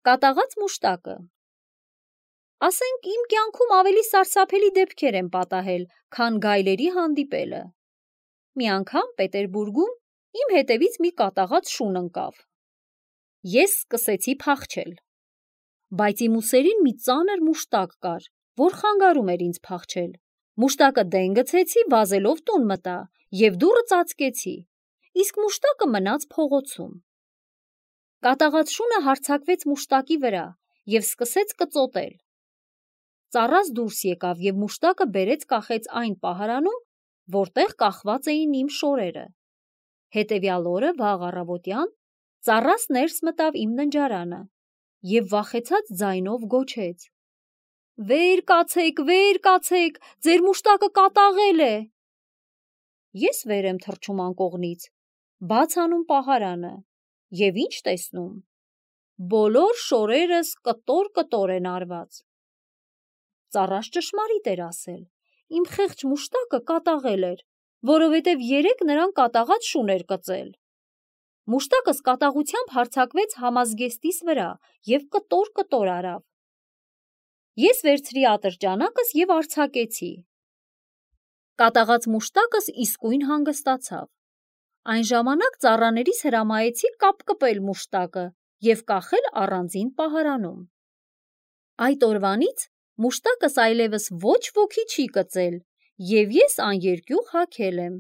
Կատաղած մուշտակը։ Ասենք իմ կյանքում ավելի սարսափելի դեպքեր եմ պատահել, քան գայլերի հանդիպելը։ Մի անգամ Պետերբուրգում իմ հետևից մի կատաղած շուն ընկավ։ Ես սկսեցի փախչել, բայց իմ ուսերին մի ծանր մուշտակ կար, որ խանգարում էր ինձ փախչել։ Մուշտակը դեն գցեցի, վազելով տուն մտա և դուռը ծածկեցի, իսկ մուշտակը մնաց փողոցում։ Կատաղած շունը հարձակվեց մուշտակի վրա և սկսեց կծոտել։ Ծառաս դուրս եկավ և մուշտակը բերեց կախեց այն պահարանում, որտեղ կախված էին իմ շորերը։ Հետևյալ օրը վաղ առավոտյան ծառաս ներս մտավ իմ ննջարանը և վախեցած ձայնով գոչեց. «Վեր կացեք, ձեր մուշտակը կատաղել է»։ Ես վեր եմ թռչում անկողնից, բաց անում պահարանը և ինչ տեսնում. բոլոր շորերս կտոր են արված։ Ծառաս ճշմարիտ էր ասել, իմ խեղճ մուշտակը կատաղել էր, որովհետև երեկ նրան կատաղած շուն էր կծել։ Մուշտակս կատաղությամբ հարձակվեց համազգեստիս վրա և կտոր արավ։ Ես վերցրի ատրճանակս և արձակեցի։ Կատաղած մուշտակս իսկույն հանգստացավ։ Այն ժամանակ ծառաներիս հրամայեցի կապկպել մուշտակը և կախել առանձին պահարանում։ Այդ օրվանից մուշտակս այլևս ոչ ոքի չի կծել և ես աներկյուղ հագել եմ։